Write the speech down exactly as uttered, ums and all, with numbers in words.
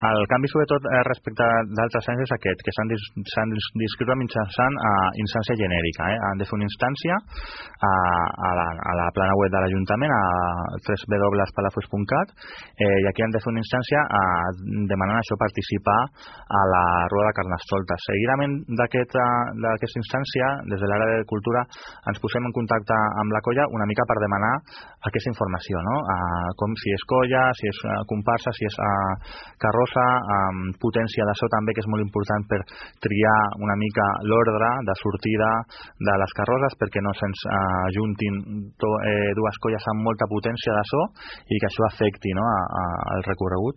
El canvi, sobretot, eh, respecte d'altres anys és aquest, que s'han d'inscriure mitjançant uh, instància genèrica. Eh? Han de fer una instància a, a, la, a la plana web de l'Ajuntament, a w w w punt palafolls punt cat, eh, i aquí han de fer una instància uh, demanant això, participar a la Rueda de Carnestoltes. Seguidament d'aquesta aquest, instància, des de l'àrea de Cultura, ens posem en contacte amb la colla una mica per demanar aquesta informació, no? Uh, com si és colla, si és uh, comparsa, si és uh, carrossa, amb potència de so també, que és molt important per triar una mica l'ordre de sortida de les carrosses, perquè no se'ns ajuntin to, eh, dues colles amb molta potència de so i que això afecti, no, a, a, al recorregut.